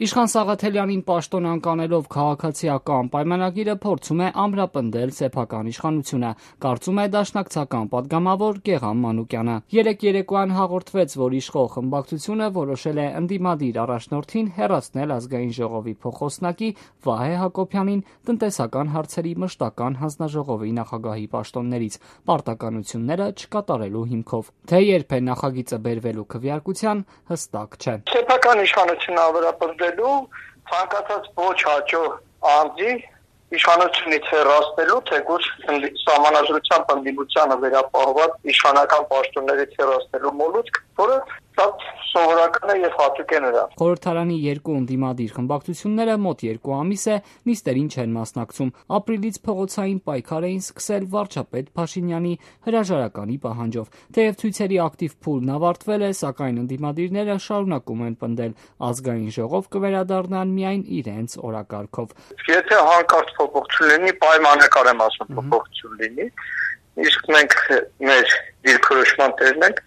Իշխան Սաղաթելյանին պաշտոն անկանելով քաղաքացիական պայմանագիրը փորձում է ամրապնդել սեփական իշխանությունը, կարծում է դաշնակցական պատգամավոր Գեղամ Մանուկյանը։ Երեկ երեկոյան հաղորդվեց, որ իշխող խմբակցությունը որոշել է ընդդիմադիր առաջնորդին հեռացնել Ազգային ժողովի փոխխոսնակի Վահե Հակոբյանին տնտեսական հարցերի մշտական հանձնաժողովի նախագահի պաշտոններից պարտականությունները չկատարելու հիմքով։ Թե երբ է նախագիծը բերվելու քվեարկության, հստակ չէ։ Սեփական իշխանությունը ամրապնդելու ցանկացած ոչ հաջող անձի իշխանությունից հեռացնելու, թեկուզ սահմանադրությամբ ընդդիմությանը վերապահված իշխանական պաշտոններից հեռացնելու մոլուցք, որը սովորական է եւ հատուկ է նրան։ Խորհրդարանի երկու ընդդիմադիր խմբակցությունները մոտ 2 ամիս է նիստերին չեն մասնակցում։ Ապրիլից փողոցային պայքար էին սկսել վարչապետ Փաշինյանի հրաժարականի պահանջով։ Թեև ցույցերի ակտիվ փուլն ավարտվել է, սակայն ընդդիմադիրները շարունակում են պնդել Ազգային ժողով կվերադառնան միայն իրենց օրակարգով։ Եթե հանկարծ փոփոխություն լինի, պայմանական եմ ասում փոփոխություն լինի, իսկ մենք մեր դիրքորոշման տերն ենք,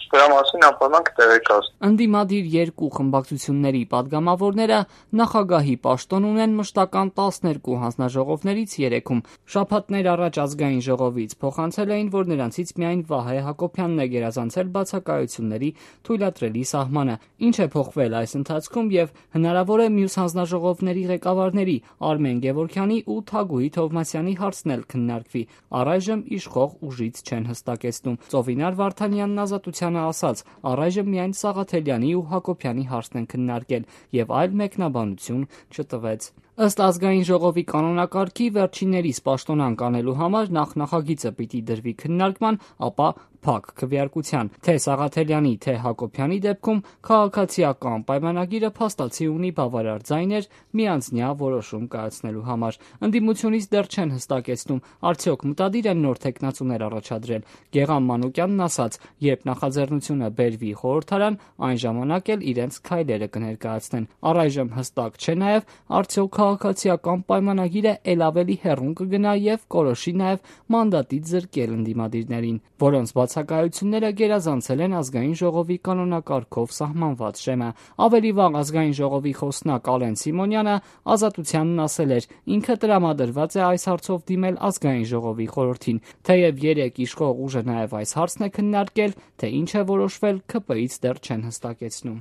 դրա մասին անպայման կտեղեկացնենք։ Ընդդիմադիր երկու խմբակցությունների պատգամավորները նախագահի պաշտոն ունեն մշտական 12 հանձնաժողովներից 3-ում։ Շաբաթներ առաջ Ազգային ժողովից փոխանցել էին, որ նրանցից միայն Վահե Հակոբյանն է գերազանցել բացակայությունների թույլատրելի սահմանը։ Ինչ է փոխվել այս ընթացքում եւ հնարավոր է մյուս հանձնաժողովների ղեկավարների Արմեն Գևորգյանի ու Թագուհի Թովմասյանի հարցն էլ քննարկվի։ Առայժմ իշխող ուժից չեն հստակեցնում։ Ծովինար Վարդանյանն Ազատությանը ասաց, առայժմ միայն Սաղաթելյանի ու Հակոբյանի հարցն են քննարկել եւ այլ մեկնաբանություն չտվեց։ Ըստ Ազգային ժողովի կանոնակարգի վերջիններիս պաշտոն անկանելու համար նախագիծը պիտի դրվի քննարկման, ապա փակ քվեարկության։ Թե Սաղաթելյանի, թե Հակոբյանի դեպքում քաղաքացիական պայմանագիրը փաստացի ունի բավարար ձայներ միանձնյա որոշում կայացնելու համար։ Ընդդիմությունից դեռ չեն հստակեցնում, արդյոք մտադիր են նոր թեկնածուներ առաջադրել։ Գեղամ Մանուկյանն ասաց, երբ նախաձեռնությունը բերվի խորհրդարան, այն ժամանակ էլ իրենց քայլերը կներկայացնեն։ Առայժմ հստակ չէ նաև, արդյոք քաղաքացիական պայմանագիրը ել ավելի հեռուն կգնա եւ կորոշի նաև մանդատից զրկել ընդդիմադիրներին, որոնց բացակայությունները գերազանցել են Ազգային ժողովի կանոնակարգով սահմանված շեմը։ Ավելի վաղ Ազգային ժողովի խոսնակ Ալեն Սիմոնյանը Ազատությանն ասել էր, ինքը տրամադրված է այս հարցով դիմել Ազգային ժողովի խորհրդին։ Թեև երեք իշխող ուժը նաև այս հարցն է քննարկել, թե ինչ է որոշվել, ՔՊ-ից դեռ չեն հստակեցնում։